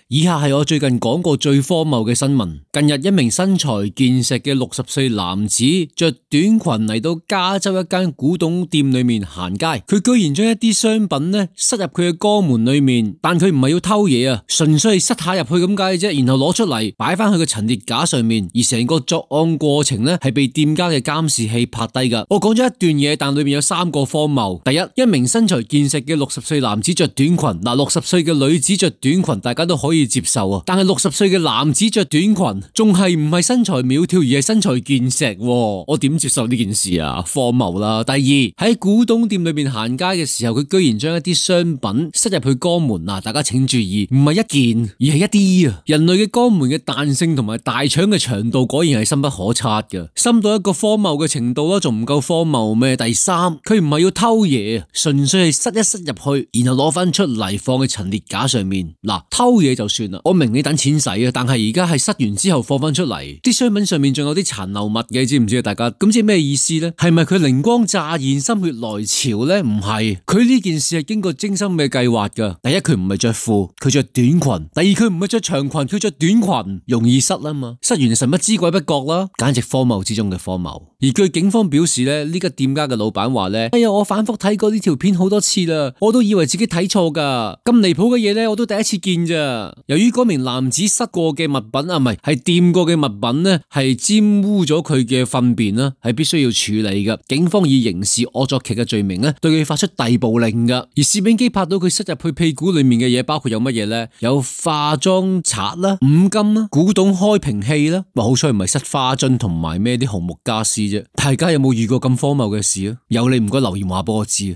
以下係我最近講過最荒謬嘅新聞。近日一名身材健碩嘅60歲男子着短裙嚟到加州一間古董店裏面行街，佢居然將一啲商品呢塞入佢嘅肛門裏面，但佢唔係要偷嘢啊，純粹係塞下入去咁解啫，然後攞出嚟擺翻去個陳列架上面，而成個作案過程呢係被店家嘅監視器拍低噶。我講咗一段嘢，但裏面有3個荒謬。第一，一名身材健碩嘅60歲男子着短裙，60歲嘅女子着短裙大家都可以接受啊，但係60歲嘅男子着短裙，仲係唔係身材苗條而係身材健碩，我點接受呢件事啊？荒謬啦！第二，喺古董店裏面行街嘅時候，佢居然將一啲商品塞入去肛門啊！大家請注意，唔係一件，而係一啲啊！人類嘅肛門嘅彈性同埋大腸嘅長度果然係深不可測噶，深到一個荒謬嘅程度啦，仲唔夠荒謬咩？第三，佢唔係要偷嘢，純粹係塞一塞入去，然後攞翻出嚟放喺陳列架上面。嗱，偷嘢就算啦，我明你等錢使啊，但係而家係塞完之後放翻出嚟，啲商品上面仲有啲殘留物嘅，知唔知啊？大家咁即係咩意思呢？係咪佢靈光乍現、心血來潮呢？唔係，佢呢件事係經過精心嘅計劃噶。第一，佢唔係着褲，佢着短裙；第二，佢唔係着長裙，佢着短裙，容易塞啊嘛，塞完神不知鬼不覺啦，簡直荒謬之中嘅荒謬。而據警方表示呢，呢個店家嘅老闆話呢：哎呀，我反覆睇過呢條片好多次啦，我都以為自己睇錯噶，咁離譜嘅嘢呢，我都第一次見咋。由於嗰名男子塞過嘅物品啊，唔係掂過嘅物品呢，係沾污咗佢嘅糞便啦，係必須要處理噶。警方以刑事惡作劇嘅罪名呢，對佢發出逮捕令噶。而攝影機拍到佢塞入去屁股裏面嘅嘢，包括有乜嘢呢？有化妝刷啦、五金啦、古董開瓶器啦。好彩唔係塞花樽同埋咩啲紅木家私啫。大家有冇遇過咁荒謬嘅事啊？有你唔該留言話俾我知啊！